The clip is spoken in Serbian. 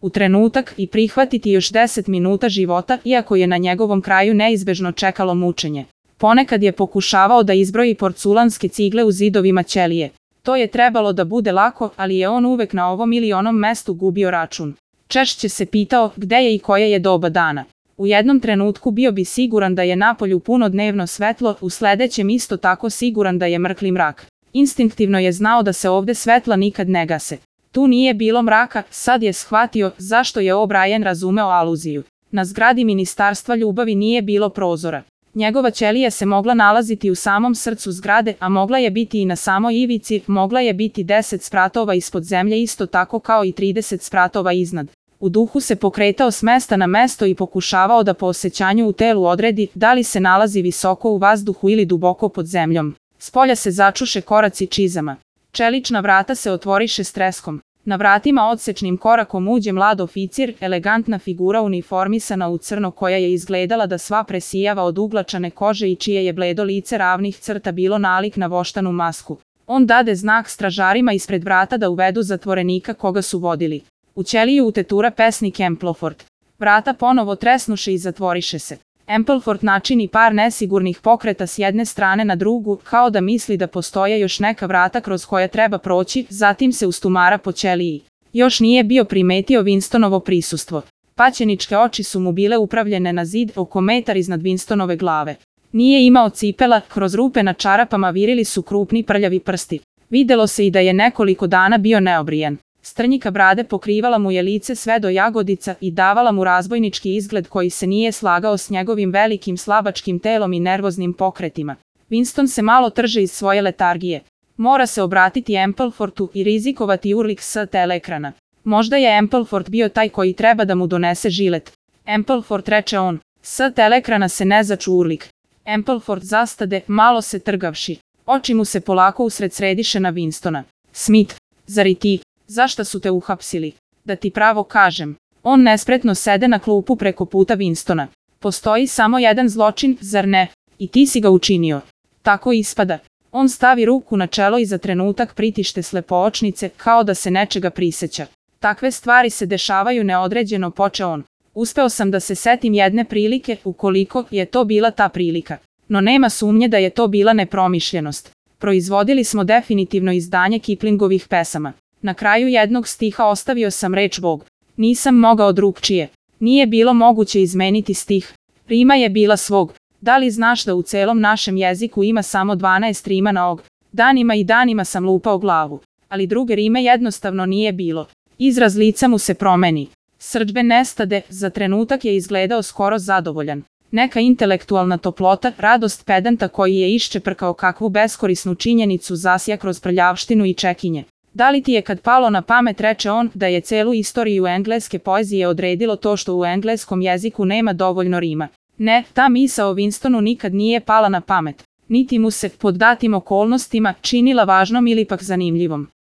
u trenutak i prihvatiti još 10 minuta života, iako je na njegovom kraju neizbežno čekalo mučenje. Ponekad je pokušavao da izbroji porculanske cigle u zidovima ćelije. To je trebalo da bude lako, ali je on uvek na ovom ili onom mestu gubio račun. Češće se pitao gde je i koje je doba dana. U jednom trenutku bio bi siguran da je napolju puno dnevno svetlo, u sledećem isto tako siguran da je mrkli mrak. Instinktivno je znao da se ovde svetla nikad ne gase. Tu nije bilo mraka, sad je shvatio zašto je O'Brien razumeo aluziju. Na zgradi Ministarstva ljubavi nije bilo prozora. Njegova ćelija se mogla nalaziti u samom srcu zgrade, a mogla je biti i na samoj ivici, mogla je biti 10 spratova ispod zemlje isto tako kao i 30 spratova iznad. U duhu se pokretao s mesta na mesto i pokušavao da po osjećanju u telu odredi da li se nalazi visoko u vazduhu ili duboko pod zemljom. Spolja se začuše koraci čizama. Čelična vrata se otvoriše s treskom. Na vratima odsečnim korakom uđe mlad oficir, elegantna figura uniformisana u crno koja je izgledala da sva presijava od uglačane kože i čije je bledo lice ravnih crta bilo nalik na voštanu masku. On dade znak stražarima ispred vrata da uvedu zatvorenika koga su vodili. U ćeliju utetura pesnik Ampleforth. Vrata ponovo tresnuše i zatvoriše se. Ampleforth načini par nesigurnih pokreta s jedne strane na drugu, kao da misli da postoje još neka vrata kroz koja treba proći, zatim se ustumara po ćeliji. Još nije bio primetio Winstonovo prisustvo. Paćeničke oči su mu bile upravljene na zid oko metar iznad Winstonove glave. Nije imao cipela, kroz rupe na čarapama virili su krupni prljavi prsti. Videlo se i da je nekoliko dana bio neobrijan. Strnjika brade pokrivala mu je lice sve do jagodica i davala mu razbojnički izgled koji se nije slagao s njegovim velikim slabačkim telom i nervoznim pokretima. Winston se malo trže iz svoje letargije. Mora se obratiti Ampleforthu i rizikovati urlik s teleekrana. Možda je Ampleforth bio taj koji treba da mu donese žilet. Ampleforth, reče on. S teleekrana se ne začu urlik. Ampleforth zastade, malo se trgavši. Oči mu se polako usred središe na Winstona. Smith, zar i ti? Zašta su te uhapsili? Da ti pravo kažem. On nespretno sede na klupu preko puta Winstona. Postoji samo jedan zločin, zar ne? I ti si ga učinio. Tako ispada. On stavi ruku na čelo i za trenutak pritište slepoočnice, kao da se nečega priseća. Takve stvari se dešavaju neodređeno, poče on. Uspeo sam da se setim jedne prilike, ukoliko je to bila ta prilika. No nema sumnje da je to bila nepromišljenost. Proizvodili smo definitivno izdanje Kiplingovih pesama. Na kraju jednog stiha ostavio sam reč Bog. Nisam mogao drugčije. Nije bilo moguće izmeniti stih. Rima je bila svog. Da li znaš da u celom našem jeziku ima samo 12 rima na og? Danima i danima sam lupao glavu. Ali druge rime jednostavno nije bilo. Izraz lica mu se promeni. Srdžbe nestade, za trenutak je izgledao skoro zadovoljan. Neka intelektualna toplota, radost pedanta koji je iščeprkao kakvu beskorisnu činjenicu zasja kroz prljavštinu i čekinje. Da li ti je kad palo na pamet, reče on, da je celu istoriju engleske poezije odredilo to što u engleskom jeziku nema dovoljno rima? Ne, ta misao Winstonu nikad nije pala na pamet. Niti mu se, pod datim okolnostima, činila važnom ili pak zanimljivom.